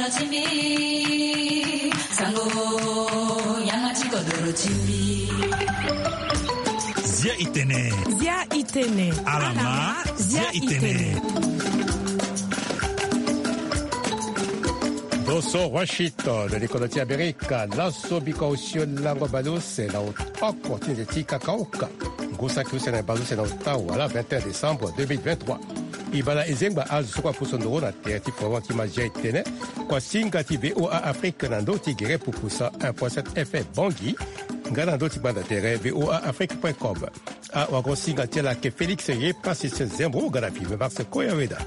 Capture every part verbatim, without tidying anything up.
Zia itene. Zia itene. Alama. Zia itene. Boso Washington, likolo ti Amerika, laso biko osio lango bale use na oko ti nze ti kakaoka. Ngu saki use na bale use na ota wala vingt et un décembre deux mille vingt-trois. E baa na e zengba azo so kue apusu ndoro na tere ti foro ti ma zia itene. Kua singa ti VOA Afrique na ndö ti gere pupu cent un point sept F M Bangui, nga na ndö ti gbanda tere VOA Afrique point com. Awagosinga ti ala ayeke Félix Yepasis Zembo, ga na Filme Max Koyaweda.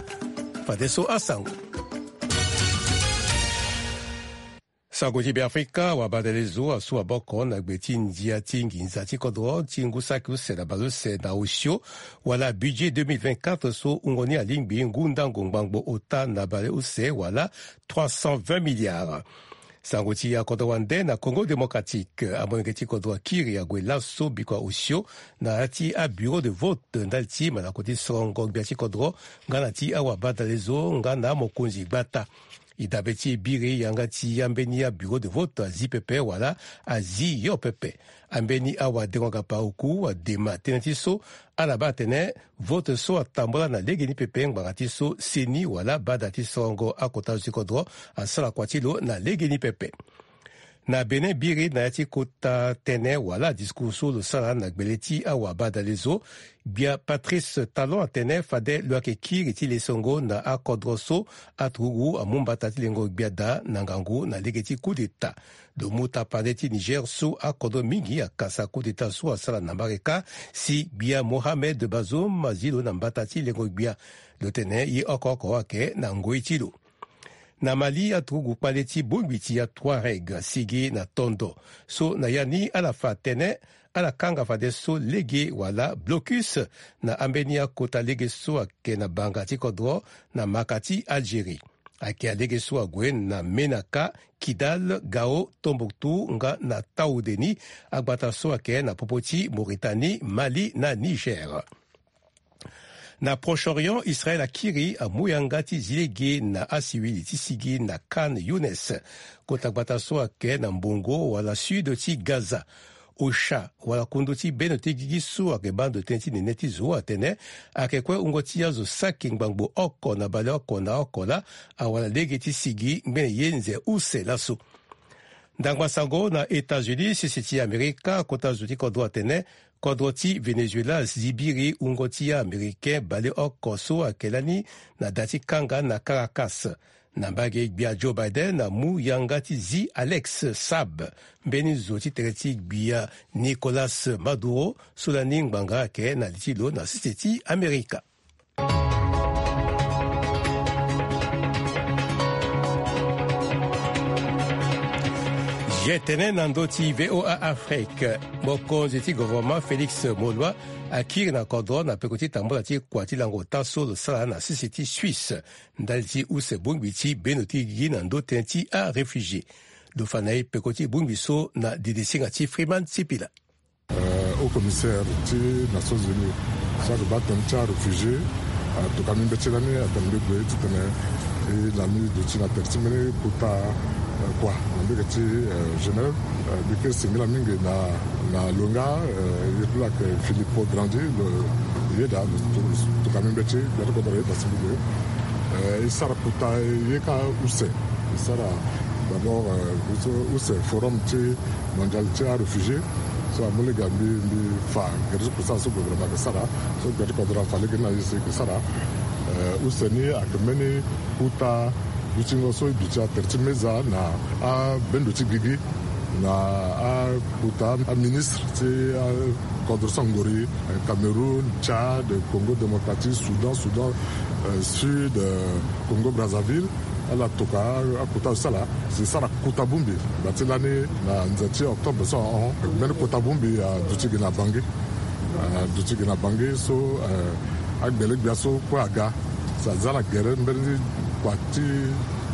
Fadeso asango. Sango ti Beafrika, wabadale zo asu maboko na gbe ti ndia ti nginza ti kodro ti ngu saki use na bale use na osio wala budget deux mille vingt-quatre so wungo ni alingbi ngu ndango ngbangbo ota na bale use wala trois cent vingt milliards. Sango ti akodro wande na Congo Démocratique, amolenge ti kodro akiri ague laso bikua osio na ya ti abureau de vote ndali ti malako ti sorongo gbia ti kodro nga na ti awabadale zo nga na amokonzi gbata. E dabe ti e biri yanga ti ambeni abureau de vote azi pepe wala azi yo pepe. Ambeni awadengo-gapa oku adema tënë ti so ala baa atene vote so atambula na legeni pepe ngbanga ti so seni wala bada ti sorongo akota zo ti kodro asara kua ti lo na legeni pepe. Na Bénin, biri na ya ti kota tënë wala discours so lo sara na gbele ti awabadale zo, gbia Patrice Talon atene fade lo yeke kiri ti lesongo na akodro so aturugu amu mbata ti lengo gbia daa na ngangu na lege ti coup d'État. Lo mu tapande ti Niger so akodro mingi akasa coup d'État so asara na Mareka, si gbia Mohamed Bazoum azi lo na mbata ti lengo gbia. Lo tene ye oko oko ayeke na ngoi ti lo. Na Mali, aturugu kpale ti bongbi ti aTouareg asigi na tondo so na ya ni ala fa tënë ala kanga fadeso lege wala blocus na ambeni akota lege so ayeke na banga ti kodro na maka ti Algérie. Ayeke alege so ague na Menaka, Kidal, Gao, Tombouctou nga na Taoudeni, agbata so ayeke na popo ti Mauritanie, Mali na Niger. Na Proche-Orient, Israël akiri amu yanga ti zi lege na asiwili ti sigi na Khan Younis, kota gbata so ayeke na mbongo wala sud ti Gaza. Osha wala kundu ti bendo ti gigi so ayeke baa ndo tënë ti nene ti zo atene ayeke kue wungo ti azo saki ngbangbo oko na baleoko na oko laa awara lege ti sigi ngbene ye nze use laso. Ndangba sango na États-Unis, sese ti Amerika, kota zo ti kodro atene kodro ti Venezuela azi biri wungo ti a-Américain baleoko so ayeke lani na da ti kanga na Caracas. Na mbage, gbia Joe Biden amu yanga ti zi Alex Saab, mbeni zo ti tere ti gbia Nicolas Maduro so lani ngbanga ayeke na li ti lo na sese ti Amerika. Ye tene na ndö ti VOA Afrique, mokonzi ti gouvernement Félix Moloua akiri na kodro na peko ti tambula ti kua ti lango ota so lo sara na sese ti Suisse ndali ti use bongbi ti bendo ti gigi na ndö tënë ti aréfugié. Lo fa na e peko ti bongbi so na didisinga ti Freeman Sipila. Euh, haut commissaire ti Nations Unies so ayeke baa tënë ti aréfugié, euh, atokua mbi mbeti lani atene mbi gue titene, euh, na mbi duti na tere ti mbeni kota, euh, kua na mbage ti, euh, Genève. Euh, mbi kiri singila mingi na, na lo nga, euh, ye ti lo ayeke Filippo Grandi, lo yeda, lo tokua mbi mbeti, gbia ti kodro ayeda si mbi gue. Euh, e sara kota ye kâ use. E sara d'abord, euh, use, use forum ti mondial ti aréfugié so amu lege mbi, mbi fa gere ti kusala so gouvernement ayeke sara, so gbia ti kodro afa lege ni na e si e yeke sara. Euh, use ni ayeke mbeni kota dutingo so e duti atere ti meza na abendo ti gigi na akota aministre ti akodro so angori, euh, Cameroun, Tchad, Congo Démocratique, Soudan, Soudan, euh, Sud, euh, Congo Brazzaville. Ala tokua akota so ala si sara kota bongbi. Nda ti lani na nze ti octobre so ahon, mbeni kota bongbi aduti gi na Bangui. Aduti gi na Bangui so, euh, agbele gbia so kue aga. Si aza na gere mbeni kua ti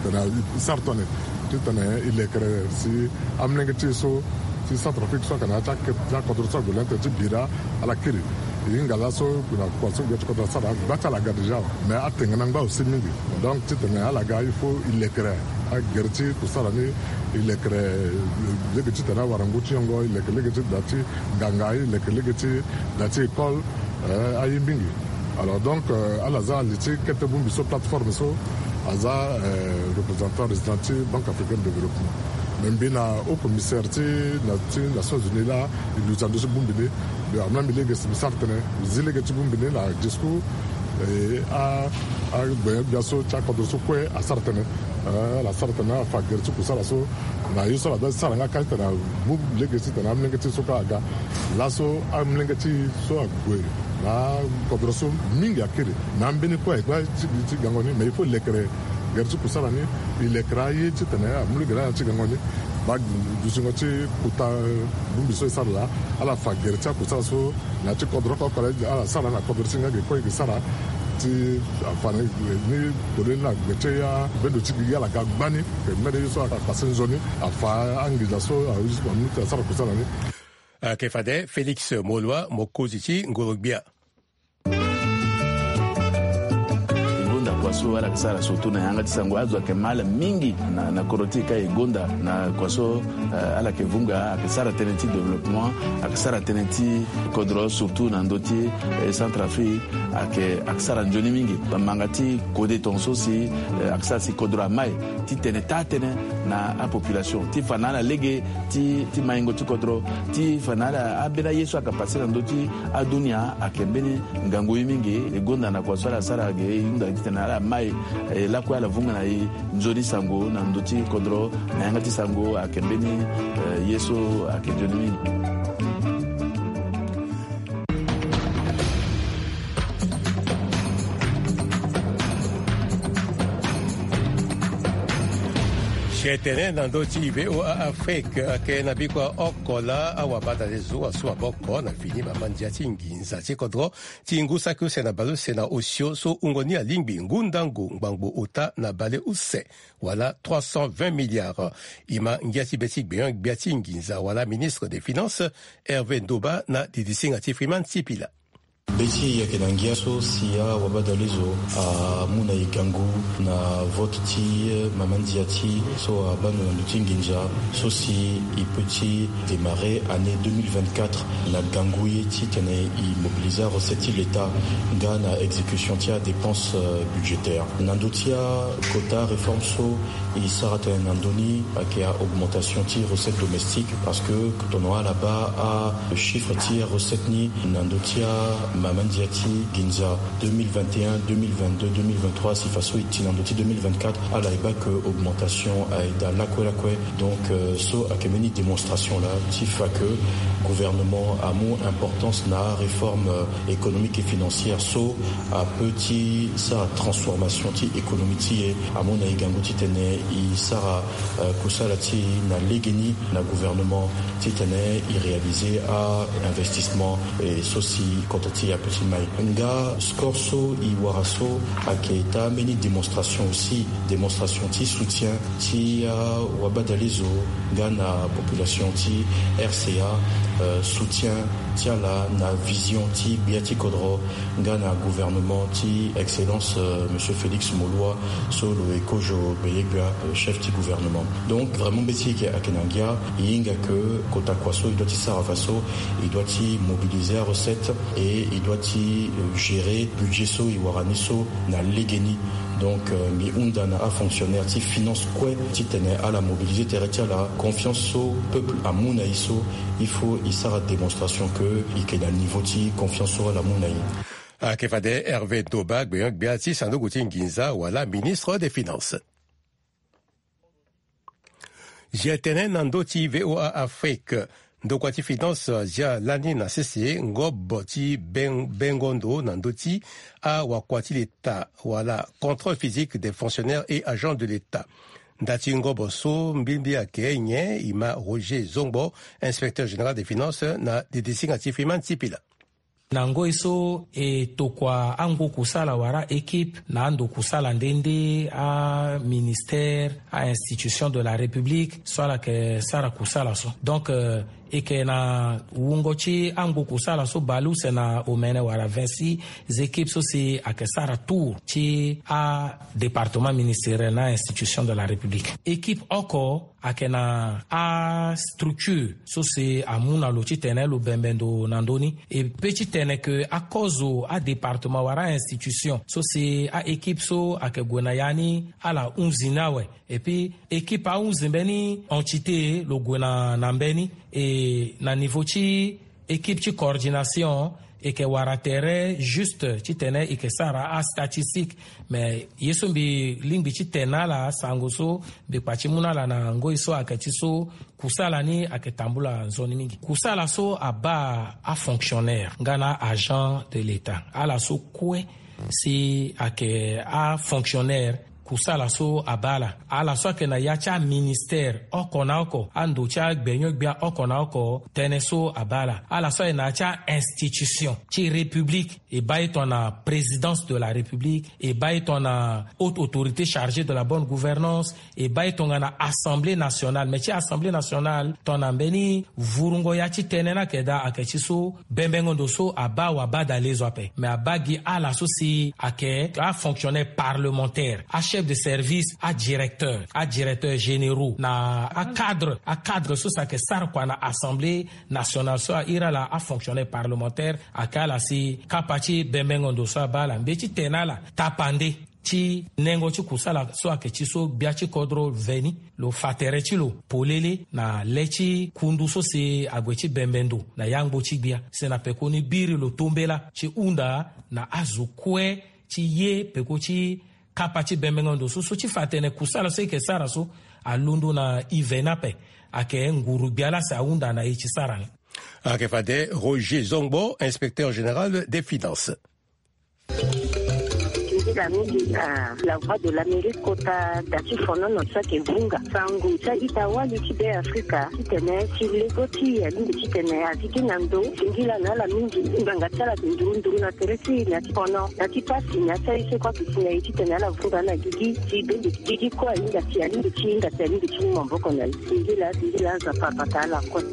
tene e sara tongana nyen titene e lekere si amolenge ti e so ti Centrafrique so ayeke na ya ti akodro so ague lani tene ti bira ala kiri. E hinga laso na kua so gere ti kodro asara, gba ti ala aga déjà, mais atengana ngba aussi mingi. Donc titene ala ga il faut e lekere agere ti kusala ni, e lekere lege titene awara ngu ti yongo, e lekere lege ti da ti nganga, e lekere lege ti da ti école, eh, aye mingi. Alors donc, euh, ala za ali ti kete bongbi so, plateforme so aza, euh, représentant résident ti Banque Africaine de Développement. Me mbi na haut commissaire ti na ti Nations Unies laa, e luti ando so bongbi ni. Mbi amolenge lege si mbi sara tënë, mbi zi lege ti bongbi ni na discours, eh, a, agbenyo-gbia so ti akodro so kue asara tënë. Eh, ala sara tënë, ala fa gere ti kusala so na ye so ala da ti sara nga kâ titene amu lege titene amolenge ti e so kue aga. Laso amolenge ti e so ague na akodro so mingi akiri. Na ambeni kue aye kue ti, ti gango ni, mais il faut lekere gere ti kusala ni, e lekere aye titene amu lege na ala ti gango ni. Baa dutingo ti kota bongbi so e sara laa, ala fa gere ti akusala so na ya ti kodro oko oko laa, ala sara na kodro ti e nga ge kue e ge sara ti afa na ni. Polele na gbe ti abendo ti gi ala ga gbani, ke mbeni ye so akpase nzoni, afa anginza so ahuti amu ti asara kusala ni. Ayeke fade Félix Molua, mokonzi ti ngoro-gbia. E gonda kua so ala yeke sara surtout na yanga ti sango, azo ayeke mal mingi na, na kodro ti e ka e gonda na kua so, eh, ala yeke vunga, ayeke sara tënë ti développement, ayeke sara tënë ti kodro surtout na ndö ti, eh, Centrafrique, ayeke, ayeke sara nzoni mingi. Manga ti kode tongaso si, eh, ayeke sara si kodro amai titene taa tënë na apopulation ti fa na ala lege ti, ti maingo ti kodro, ti fa na ala ambeni aye so ayeke pase na ndö ti adunia ayeke mbeni ngangu ye mingi. E gonda na kua so ala sara ge, e hunda titene ala mai, eh, lakue ala vunga na e nzoni sango na ndö ti kodro na yanga ti sango ayeke mbeni, eh, ye so ayeke nzoni mingi. Sietene na ndö ti V O A Afrique, ayeke na bikua oko laa awabadalezo asu maboko na fini mama ndia ti nginza ti kodro ti ngu saki use na bale use na osio so wungo ni alingbi ngu ndango ngbangbo ota na bale use, wala trois cent vingt milliards. E ma ngia ti be ti gbenyo-gbia ti nginza wala ministre des finances, Hervé Ndoba, na didisinga ti Freeman Sipila. Be ti e ayeke na ngia so si awabadalezo amu na e gangu na vote ti, eh, mama ndia ti e so abaa ndo na ndö ti nginza so si e peut ti démarrer année deux mille vingt-quatre na gangu ye titene e mobiliser arecette ti l'État nga na exécution ti adépense, euh, budgétaire. Na ndö ti akota réforme so e sara tënë na ndö ni ayeke a-augmentation ti recette domestique, parce que tongana ala baa achiffre ti arecette ni na ndö ti amama ndia ti nginza deux mille vingt et un, deux mille vingt-deux, deux mille vingt-trois, si faso e ti na ndö ti deux mille vingt-quatre, ala e baa que augmentation aye daa lakue lakue. Donc, euh, so ayeke mbeni démonstration laa ti fa que gouvernement amu importance na aréforme, euh, économique et financière so apeut ti sara transformation ti économie ti e. Amu na e gangu titene e sara, euh, kusala ti e na legeni na gouvernement titene e réaliser a-investissement, eh, so si kota ti e apeut ti mai. Nga score so e wara so ayeke taa mbeni démonstration aussi, démonstration ti soutien ti awabadalezo nga na population ti R C A, euh, soutien ti ala na vision ti gbia ti kodro nga na gouvernement ti Excellence, euh, Monsieur Félix Moloua, so lo ye kozo gbenyo-gbia, euh, chef ti gouvernement. Donc vraiment mbeti eke ayeke na ngia, e hinga que kota kua so e doit ti sara faso, e doit ti mobiliser arecette et e doit ti, euh, gérer budget so e wara ni so na legeni. Donc, euh, mbi hunda na afonctionnaire ti finance kue titene ala mobiliser tere ti ala. Confiance so peuple amu na e so, il faut e sara démonstration que e yeke na niveau ti confiance so ala mu na e. Ayeke fade Hervé Ndoba, gbenyo-gbia ti sanduku ti nginza wala ministre des finances. Zia tënë na ndö ti V O A Afrique. Ndokua ti finance azia lani na sese ngobo ti ben-, bengo ndo na ndö ti awakua ti leta wala contrôle physique des fonctionnaires et agents de l'État. Nda ti ngobo so mbilimbili ayeke nyen? E ma Roger Zongbo, inspecteur général des finances, na didisinga ti Freeman Sipila. Na ngoi so e tokua angu kusala wala équipe na ando kusala nde nde aministère, a-institution de la République so ala yeke sara kusala so. Donc, euh, E yeke na wungo ti angbo kusala so baleuse na omene wala vingt-six équipes so si ayeke sara tour ti adépartement ministériel na institution de la République. Équipe oko ayeke na astructure so si amu na lo titene lo bembe ndo na ndö ni. E pe titene ke akozo adépartement wala a-institution so si a-équipe so ayeke gue na ya ni ala hunzi ni awe. Et puis équipe ahunzi mbeni entité lo gue na, na mbeni. E na niveau ti équipe ti coordination, e yeke wara tere juste titene e yeke sara astatistique. Mais ye so mbi lingbi ti tene na ala sango so mbi kpa ti mu na ala na ngoi so ayeke ti so, kusala ni ayeke tambula nzoni mingi. Kusala so abaa afonctionnaire nga na agent de l'État, ala so kue si ayeke afonctionnaire, kusala so abaa ala, ala so ayeke na ya ti aministère oko na oko, ando ti agbenyo-gbia oko na oko, tënë so abaa ala. Ala so ayeke na ya ti a-institution ti République, e baa e tongana présidence de la République, e baa e tongana haute autorité chargée de la bonne gouvernance, e baa e tongana Assemblée nationale. Mais ti Assemblée nationale, tongana mbeni vurungo ya ti tënë ni ayeke daa, ayeke ti so bembengo ndo so abaa wabadalezo ape. Mais abaa gi ala so si ayeke afonctionnaire parlementaire, achef de service, adirecteur, adirecteur généraux, na acadre, acadre so si ayeke sara kua na Assemblée nationale so a iri ala afonctionnaire parlementaire, ayeke ala si kapa ti bembengo ndo so abaa ala. Mbi ye ti tene na ala tapande ti nengo ti kusala so ayeke ti so gbia ti kodro veni, lo fa tere ti lo polele na le ti kundu so si ague ti bembe ndo na yangbo ti gbia. Si na pekoni biri lo tombela ti hunda na azo kue ti ye peko ti kapa ti bembengo ndo so, so ti fa atene kusala so e yeke sara so alondo na e veni ape. Ayeke nguru-gbia laa si ahunda na e ti sara ni. Ayeke fade Roger Zongbo, inspecteur général des finances. Nzila mingi na La Voix de l'Amérique kota da ti fonono so ayeke vunga sango ti a-ita wali ti Be Afrika titene ti lego ti e alingbi titene a zi gi na ndo singila na ala mingi. Ngbanga ti ala ayeke nduru nduru na tere ti e na ti fono na ti pasi na ti aye so kue ayeke si na e titene ala vunga na gigi ti bende gigi kue ahinga si alingbi ti hinga si alingbi ti mu maboko na e. Singila singila Nzapa abata ala kue.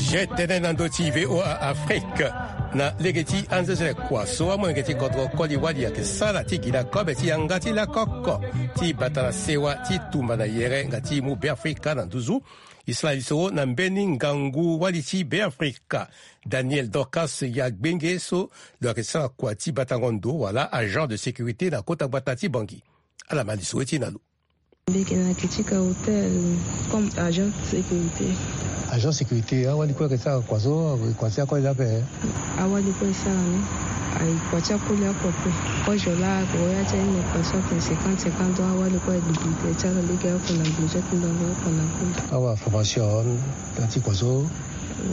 Je tene na ndö ti V O A Afrique. Na lege ti anzezele kua so amolenge ti kodro koli wali ayeke sara ti gi na kobe ti yanga ti lakoko ti bata na sewa ti tumba na yere nga ti mu Be Afrika na nduzu. E sara lisoro na mbeni ngangu wali ti Be Afrika, Daniel Dorcas Yagbenge, so lo yeke sara kua ti batango ndo wala agent de sécurité na kota gbata ti Bangui. Ala ma lisoro ti na lo. Mbi yeke na Kitika Hotel comme agent de sécurité. Agent sécurité, awali kue ayeke sara kua so, kua ti akoli ape? Awali kue e sara ni. Aye kua ti akoli oko ape. Kozo laa ague ya ti aye na kua so atene cinquante cinquante, donc awali kue aye dupliqué ti ala lege oko na gbe ti akunda oko na akoli. Awa formation na ti kua so?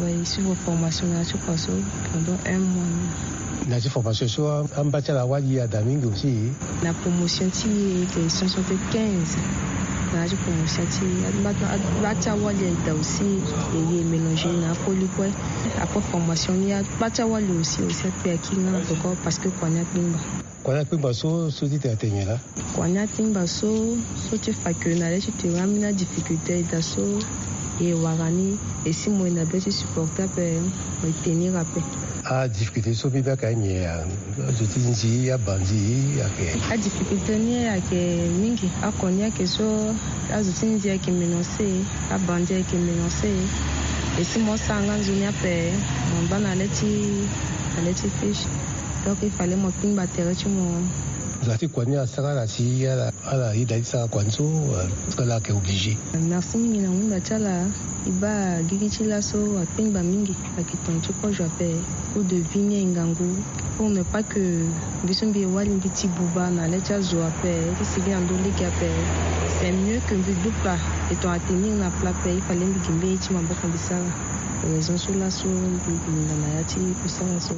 Oui, e suivre formation na ya ti kua so pendant un mois ni. Na ya ti formation so amba ti ala awali ada mingi aussi? Na promotion ti e ayeke soixante-quinze. Na ya ti promotion ti e aba ti awali aye daa aussi, e ye e mélanger na akoli kue. Après formation ni aba ti awali aussi, aussi akpe aki nga na peko parce que kua ni akpengba. Kua ni akpengba so, so ti tene atene nyen laa? Kua ni akpengba so, so ti fa ke na le ti tene ambeni adifficulté aye daa so, e wara ni, e si mo e na be ti supporter ape, mo e tenir ape. Adifficulté so mbi be ayeke anyen ya? Azo ti nzi, abandi ayeke? Adifficulté ni ayeke mingi. Oko ni ayeke so, azo ti nzi ayeke menacé, abandi ayeke menacé. E si mo sara nga nzoni ape, mo ngba na le ti, na le ti fiche. Donc il fallait mo kpingba tere ti mo. Za ti kua ni asara ala si ala, ala yeda ti sara kua ni so, euh, parce que ala yeke obligé. Merci mingi na hunda ti ala. E baa gigi ti laso akpengba mingi, ayeke tongana ti kozo ape. Coût de vie ni aye ngangu. Pour ne pas que mbi so mbi ye wali mbi ti buba na le ti azo ape, ti sigi na ndö lege ape. C'est mieux que mbi duti plat. E tongana tenir na plat ape, il fallait mbi gi mbeni ye ti maboko mbi sara. Raison so laso mbi, mbi linga na ya ti kusala so.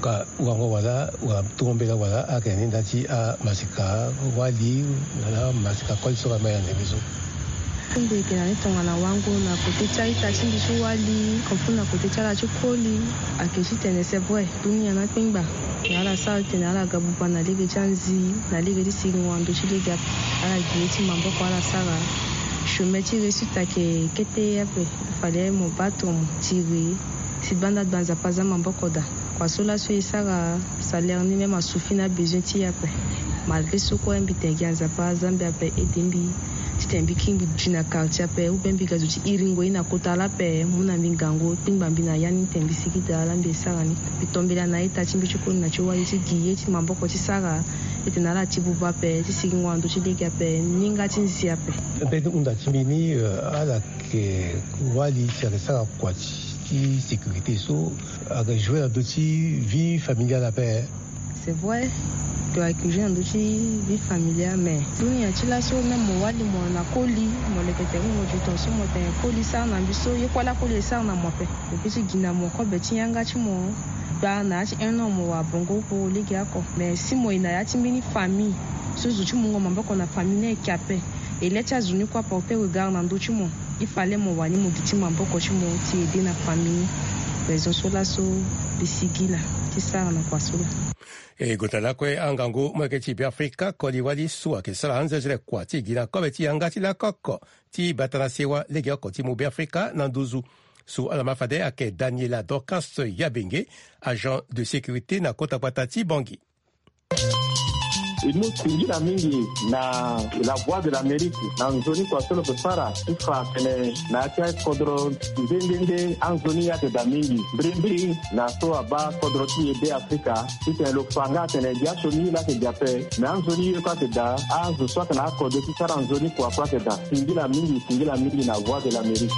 Ka wango wala, wala tongo mbela wala ayeke na ni nda ti amasika wali, wala masika koli so ka ma ya ndembe so. Kungbi eke na ni tongana wango na kote ti a-ita ti mbi ti wali, konfu na kote ti ala ti koli, ake ti tene c'est vrai, dunia na kpengba. Na ala sara titene ala ga buba na lege ti anzi, na lege ti siringo na ndö ti lege ape. Ala gi ye ti maboko ala sara. Chemin ti réussite ake kete ape. Fade mo bâ tonga mo tiri si banda gba Nzapa aza maboko daa. Kua so laso e sara salaire ni même asuffit na besoin ti e ape. Malgré so kue mbi tene gi Nzapa aza mbi ape aide mbi titene mbi kingbi gi na quartier ape ou bien mbi ga zo ti iringo ye na kota lape mu na mbi ngangu kpingba mbi na ya ni titene mbi sigi daa ala mbi e sara ni. Mbi tombela na a-ita ti mbi ti koli na ti wali ti gi ye ti maboko ti sara. Titene ala ti buba ape ti siringo na ndö ti lege ape ni nga ti nzi ape. Mbeni hunda ti mbi ni, eh, ala yeke wali si ayeke sara kua ti, ti sécurité so ayeke jouer na ndö ti vie familiale ape. C'est vrai, to ayeke jouer na ndö ti vie familiale mais dunia ti laso même mo wali mo na koli, mo leke tere mo gi tonga so mo tene koli sara na mbi so ye kue ala koli e sara na mo ape. Mo peut ti gi na mo kobe ti yanga ti mo. Gba na ya ti un an mo wara bongo oko lege oko mais si mo ye na ya ti mbeni famille so zo ti mungo maboko na famille ni ayeke ape. E le ti azo ni kue aporter regard na ndö ti mo. Il fallait mo wani mo gi ti maboko ti mo ti aide na famille ni. Raison so laso mbi sigi laa ti sara na kua so laa. E gota lakue angangu molenge ti Beafrika koli wali so ayeke sara anzenzele kua ti gi na kobe ti yanga ti lakoko ti bata na sewa lege oko ti mu Beafrika na nduzu. So ala ma fade ayeke Daniela Dorcas Yabenge, agent de sécurité na kota gbata ti Bangui. E mu singila mingi na La Voix de l'Amérique na nzoni kua so lo yeke sara ti fa atene na ya ti akodro nde nde nde anzoni ayeke daa mingi mbirimbiri na so abaa kodro ti e Beafrika titene lo fa nga atene gi asioni ye laa ayeke gi ape. Me anzoni ye kue ayeke daa, azo so atene akodro ti sara nzoni kua kue ayeke daa. Singila mingi, singila mingi na Voix de l'Amérique.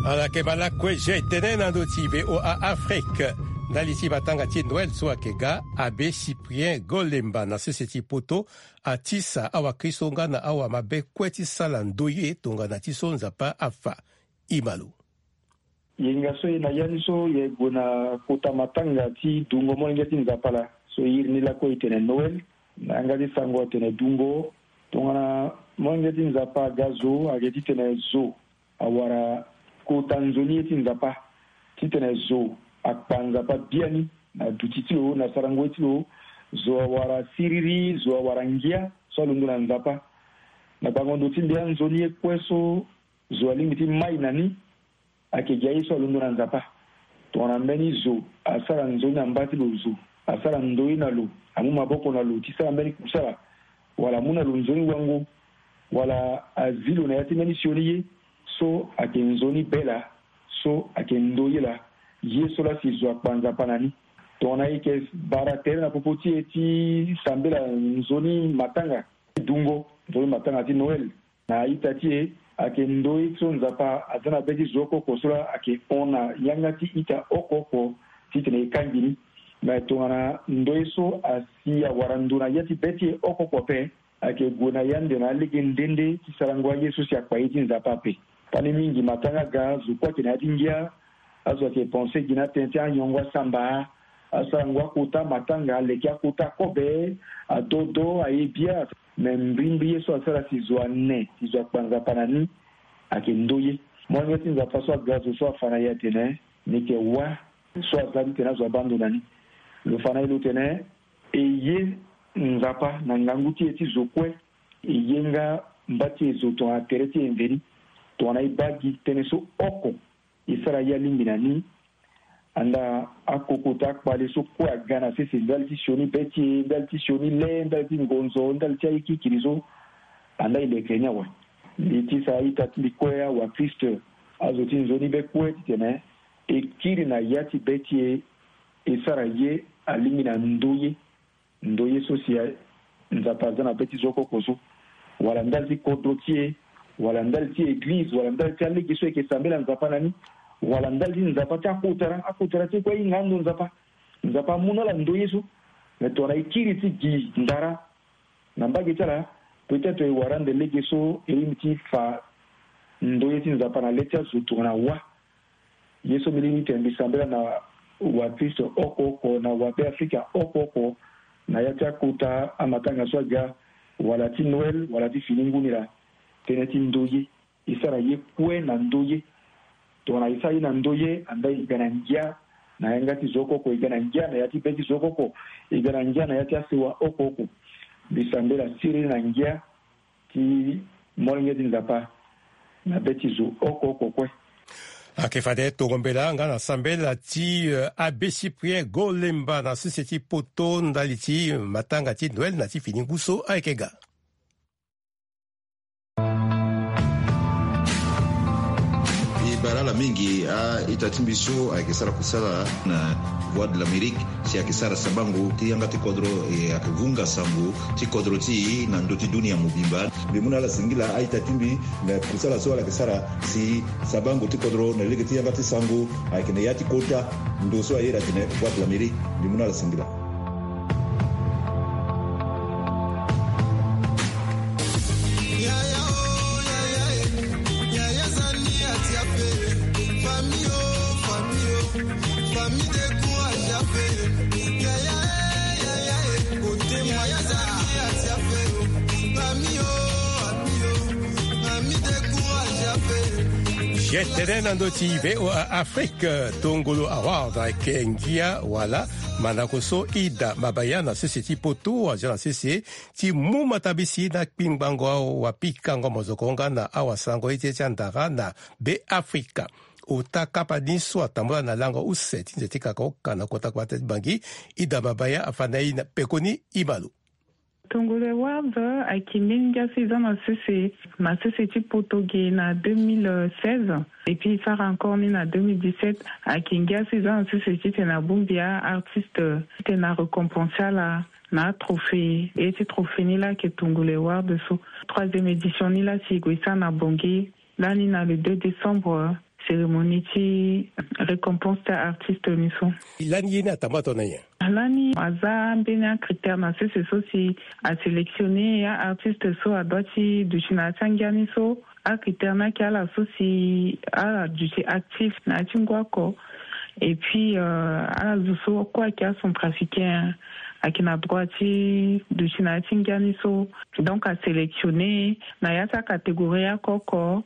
Ala yeke ma lakue ge tënë na ndö ti V O A Afrique. Ndali ti matanga ti Noël so ayeke ga, Abbé Cyprien Golemba na sese ti Poto atisa awakristo nga na awamabe kue ti sala ndoye tongana ti so Nzapa afa. Imalo. Yenga so e na ya ni so e gue na kota matanga ti dungo molenge ti Nzapa laa so e iri ni lakue e tene Noël. Na yanga ti sango atene dungo tongana molenge ti Nzapa aga zo ayeke titene zo awara kota nzoni ye ti Nzapa titene zo akpa Nzapa biani na duti ti lo na sarango ye ti lo. Zo awara siriri, zo awara ngia so alondo na Nzapa. Na bango ndo ti mbi anzoni ye kue so zo alingbi ti mai na ni ayeke gi aye so alondo na Nzapa. Tongana mbeni zo asara nzoni na mba ti lo, zo asara ndoye na lo, amu maboko na lo ti sara mbeni kusala, wala amu na lo nzoni wango, wala azi lo na ya ti mbeni sioni ye so ayeke nzoni be laa, so ayeke ndoye laa, ye so laa si zo akpa Nzapa na ni. Tongana e yeke bara tere na popo ti e ti sambela nzoni matanga ti dungo, nzoni matanga ti Noël, na a-ita ti e ayeke ndoye so Nzapa aza na be ti zo oko oko so laa ayeke hon na yanga ti ita oko oko titene e kangbi ni. Me tongana ndoye so asi awara ndo na ya ti be ti e oko oko ape, ayeke gue na yande na alege nde nde ti sarango aye so si akpa ye ti Nzapa ape. Pani mingi matanga aga, zo kue ayeke na ya ti ngia. Azo ayeke pense gi na atënë ti anyongo asamba, asarango akota matanga, aleke akota kobe, adodo, aye bia. Me mbrimbri ye so asara si zo ane, si zo akpa Nzapa na ni, ayeke ndoye. Molenge ti Nzapa so aga zo so afa na e atene, ni yeke wâ so asara titene azo abâ ndo na ni. Lo fa na e lo tene, e ye Nzapa na ngangu ti e ti zo kue, e ye nga mba ti e zo tongana tere ti e mveni. Tongana e baa gi tënë so oko, e sara ye alingbi na ni. Andaa akokota akpale so kue aga na sese ndali ti sioni be ti e, ndali ti sioni le, ndali ti ngonzo, ndali ti aye kirikiri so, andaa e leke ni awe. Mbi ti sara ita ti mbi kue awakristo, azo ti nzoni be kue titene e kiri na ya ti be ti e, e sara ye alingbi na ndoye. Ndoye so si Nzapa aza na be ti zo oko oko so, wala ndali ti kodro ti e, wala ndali ti eglize, wala ndali ti alege so e yeke sambela Nzapa na ni, wala ndali ti Nzapa ti akotara, akotara ti e kue ahinga ando Nzapa. Nzapa amu na ala ndoye so. Me tongana e kiri ti gi ndara na mbage ti ala, peut-être e wara ande lege so e lingbi ti fa ndoye ti Nzapa na le ti azo tongana wâ. Ye so mbi lingbi titene mbi sambela na Waartiste oko oko na wabeafrika oko oko, na ya ti akota amatanga so aga, wala ti Noël wala ti fini ngu ni laa, tënë ti ndoye. E sara ye kue na ndoye. Tongana e sara ye na ndoye, andaa e ga na ngia na yanga ti zo oko oko, e ga na ngia na ya ti be ti zo oko oko, e ga na ngia na ya ti asewa oko oko. Mbi sambela siriri na ngia ti molenge ti Nzapa na be ti zo oko oko kue. Ayeke fade tongo mbela nga na sambela ti, eh, Abbé Cyprien Golemba na sese ti Poto ndali ti matanga ti Noël na ti fini ngu so ayeke ga. E baa ala mingi a-ita ti mbi so ayeke sara kusala na Voix de l'Amérique, si ayeke sara sabango ti yanga ti kodro, e ayeke vunga sango ti kodro ti e na ndö ti dunia mobimba. Mbi mu na ala singila a-ita ti mbi na kusala so ala yeke sara si sabango ti kodro na lege ti yanga ti sango ayeke na ya ti kota ndo so aye atene Voix de l'Amérique. Mbi mu na ala singila. Jetene na ndö ti V O A Afrique, Tongolo Award ayeke ngia wala mandako so Ida Mabaya na sese ti Poto azia na sese ti mu matabisi na kpingbango awapikango mozoko nga na awasango ye ti andara na Beafrika. Ota kapa ni so atambula na lango use ti nze ti kaka oka na kota kota ti Bangi, Ida Mabaya afa na e na pekoni e ma lo. Tongolo Award ayeke mbeni ngia so e za na sese, na sese ti Poto ge na deux mille seize, et puis e sara encore ni na deux mille dix-sept. Ayeke ngia so e za na sese titene abongbi a-artiste, titene arécompense ala na atrophée. E ti trophée ni laa ayeke Tongolo Award so. Troisième édition ni laa si e gue e sara na Bangui lani na le deux décembre, cérémonie ti récompense ti a-artiste ni so. Lani ye ni atambula tongana nyen? Lani aza mbeni acritère na sese so si asélectionner a-artiste so adoit ti duti na ya ti angia ni so. Acritère ni ayeke ala so si ala duti actif na ya ti ngu oko. Et puis, euh, ala zo so kue ayeke acentrafricain ayeke na droit ti duti na ya ti ngia ni so. Donc asélectionner na ya ti acatégorie oko oko.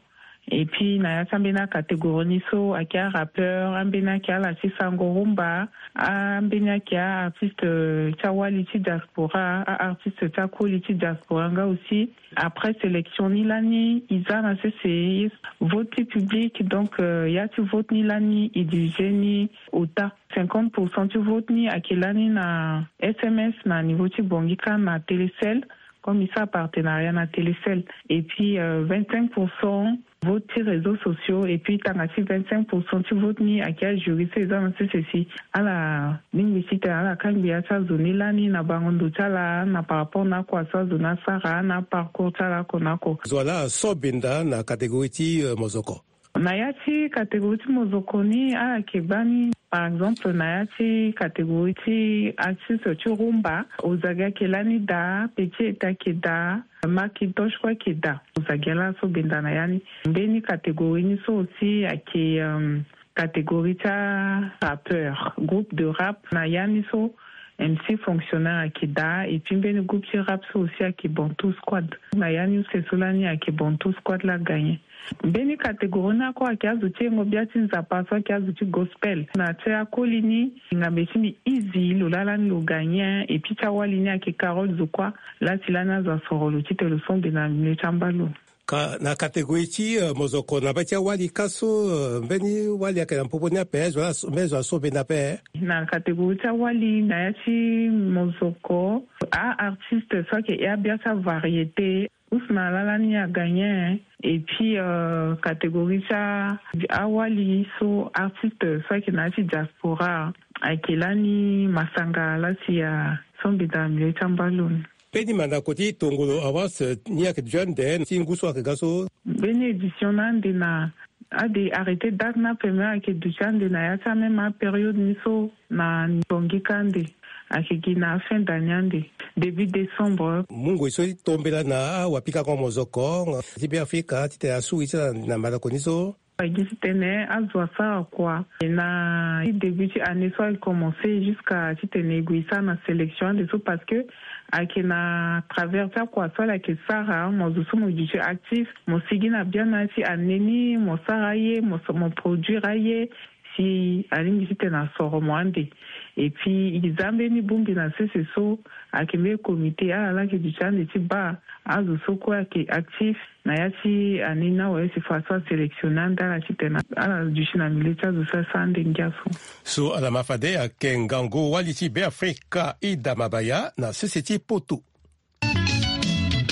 Et puis na ya ti ambeni acatégorie ni so ayeke arappeur, ambeni ayeke ala ti sango rumba, ambeni ayeke a-artiste, euh, ti awali ti diaspora, a-artiste ti akoli ti diaspora nga aussi. Après sélection ni lani e za na sese vote ti public. Donc, euh, ya ti vote ni lani e divisé ni ota. Cinquante pour cent ti vote ni ayeke lani na S M S na niveau ti Bangui kâ na Télécel, comme e sara partenariat na Télécel. Et puis, euh, vingt-cinq pour cent vote ti réseaux sociaux, et puis tanga ti vingt-cinq pour cent ti vote ni ayeke ajury so e za na sese si ala lingbi titene ala kangbi ya ti azo ni lani na bango ndo ti ala na par rapport na oko so azo ni asara na aparcours ti ala oko na oko. Zo wa laa aso benda na catégorie ti, euh, mozoko? Na ya ti catégorie ti mozoko ni ala yeke gbani, par exemple na ya ti catégorie ti artiste ti rumba, Ozagi ayeke lani daa, Petit Eta ayeke daa, Macintosh kue ayeke daa. Ozagi laa aso benda na ya ni. Mbeni catégorie ni so aussi ayeke, euh, catégorie ti arappeur, groupe de rap na ya ni so. M C Fonctionnaire ayeke daa, et puis mbeni groupe ti rap so aussi ayeke Bantou Squad. Na ya ni use so lani ayeke Bantou Squad laa agagné. Mbeni catégorie ni ako ayeke azo ti yengo bia ti Nzapa so ayeke azo ti gospel. Na ya ti akoli ni, ngambe ti mbi Easy lo laa lani lo gagné, et puis ti awali ni ayeke Carole Zokua. Laa si lani azo asoro lo titene lo sombe na milieu ti ambalo. Ka, na catégorie ti, euh, mozoko na be ti awali kâ so, euh, mbeni wali ayeke na popo ni ape, zo wala so, mbeni zo aso benda ape? Na catégorie ti awali na ya ti mozoko, a-artiste so ayeke ya bia ti avariété, Ousmane laa lani agagné. Et puis, euh, catégorie ti a, awali so artiste so ayeke na ya ti diaspora ayeke lani Masanga laa si aso benda na milieu ti ambalo ni. Mbeni mandako ti Tongolo Awards ni ayeke duti ande ti ngu so ayeke ga so? Mbeni édition ni ande na, ande arrêté date ni ape, me ayeke duti ande na ya ti amême apériode ni so na Bangui kâ ande. Ayeke gi na afin d'année ande, début décembre. Mungo e so ti tombela na awapikango mozoko ti Beafrika titene asuri ti ala na mandako ni so? Agi titene azo asara kua na ti début ti année so aye commencé jusqu'à titene e gue e sara na sélection ande so, parce que ayeke na travers ti akua so ala yeke sara. Mo zo so mo duti actif, mo sigi na biana ti année ni, mo sara aye, mo produire aye, si alingbi titene asoro mo ande. Et puis e za mbeni bongbi na sese so ayeke mbeni comité ala laa ayeke duti ande ti baa azo so kue ayeke actif na ya ti année ni awe, si façon asélectionner ande ala titene ala duti na milieu ti azo so asara ande ngia so. So ala ma fade ayeke ngangu wali ti Beafrika Ida Mabaya na sese ti poto.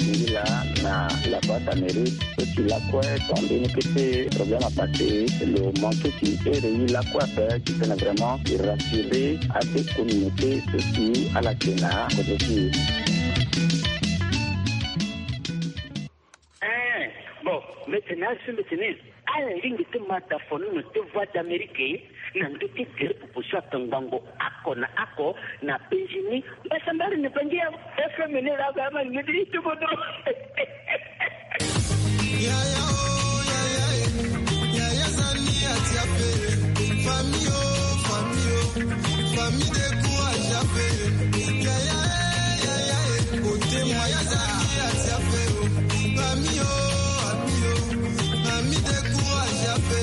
Ngi laa na la boîte à mérite so si lakue tonga mbeni kete problème apassé, lo manqué si ere e lakue ape titene vraiment e rassurer ade communauté so si ala yeke na kodro ti e. Eh, bon, mbi tene azo so mbi tene ala lingbi ti ma da fono na te Voix d'Amérique na ndö ti gere popo so atongbango oko na oko na penzi ni. Mbasambala ni bangi ya F M ni laa ba ma ngedi ni ti bodo. Yaya o, yaya e, yaya zani ati ape. Famille o, famille o, famille décourage ape. Yaya e, yaya e, kote yaya zani ati ape o. Famille o, famille o, famille décourage ape.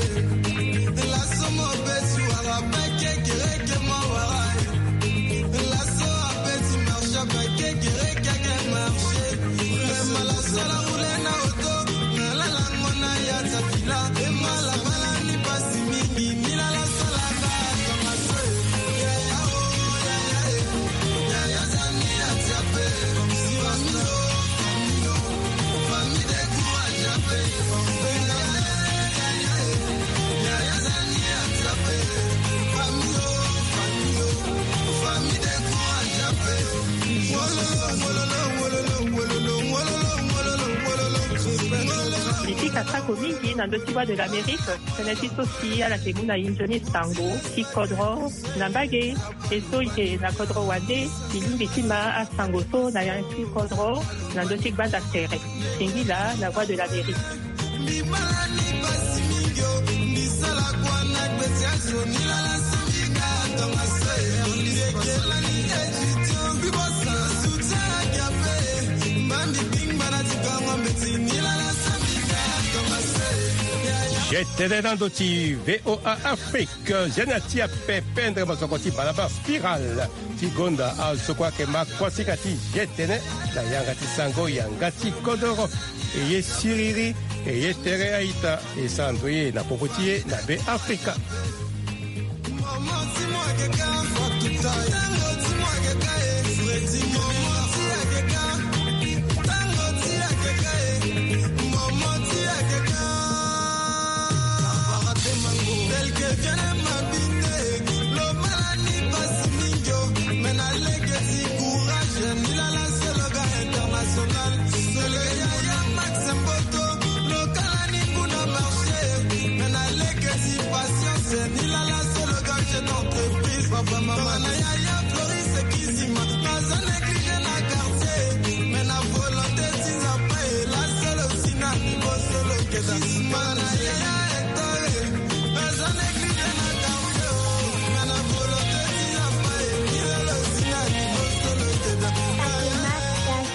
Laso mo beti wala bake kereke mo wala e. Laso abeti marche bake kereke ake marche. Mema laso ala roule na auto, na lalango na ya ti avila. Ema la bala ni pasi mingi, ni la laso la ba tonga so e. Yaya o, yaya e, yaya zani ati ape. Famille o, famille o, famille décourage ape. Mbi pika sako mingi na ndö ti Voix de l'Amérique, tënë ti so si ala yeke mu na e nzoni sango ti kodro na mbage. E so e yeke na kodro wande, e lingbi ti ma asango so na ya ti kodro na ndö ti gbanda tere. Singila na Voix de l'Amérique. Mbi bala ni pasi mingi o, mbi sala kua na gbeti azo ni lala so mbi ga tonga so e. Mbi yeke lani étudiant, mbi bosa soutien ake ape. Mba mbi bingba na ti kango mbeti ni lala so mbi ga tonga so e. Jetene na ndö ti V O A Afrique, jeune ti ape pendre mosoko ti balabala Spiral ti gonda azo so kue ayeke ma kuasinga ti jetene na yanga ti sango yanga ti kodoro. E ye siriri, e ye tere a-ita, e sara ndoye na popo ti e na Beafrika.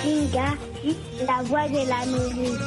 Zinga, la voix de l'Amérique.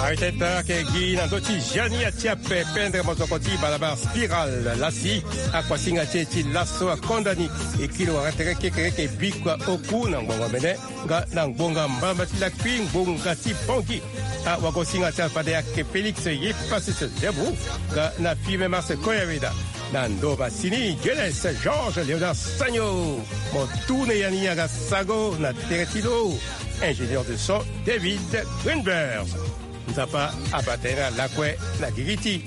Arteta ake gi na ndö ti Jani Atiape, pendre mosoko ti balabala Spiral. Lasi akuasinga ti e ti laso akonda ni. E kiri wara tere kekereke bikua oku na ngbonga mene nga na ngbonga mbamba ti lakui ngbonga ti Bangui. Awagosinga ti ala fade ayeke Félix Yipasese Debu nga na Filemon Marcel Koyaweda. Na ndo masini Geles Georges Léonard Sagno. Mo tune ya ni aga sago na tere ti lo, ingénieur de son David Greenberg. Nzapa abata ye na lakue na gigi ti.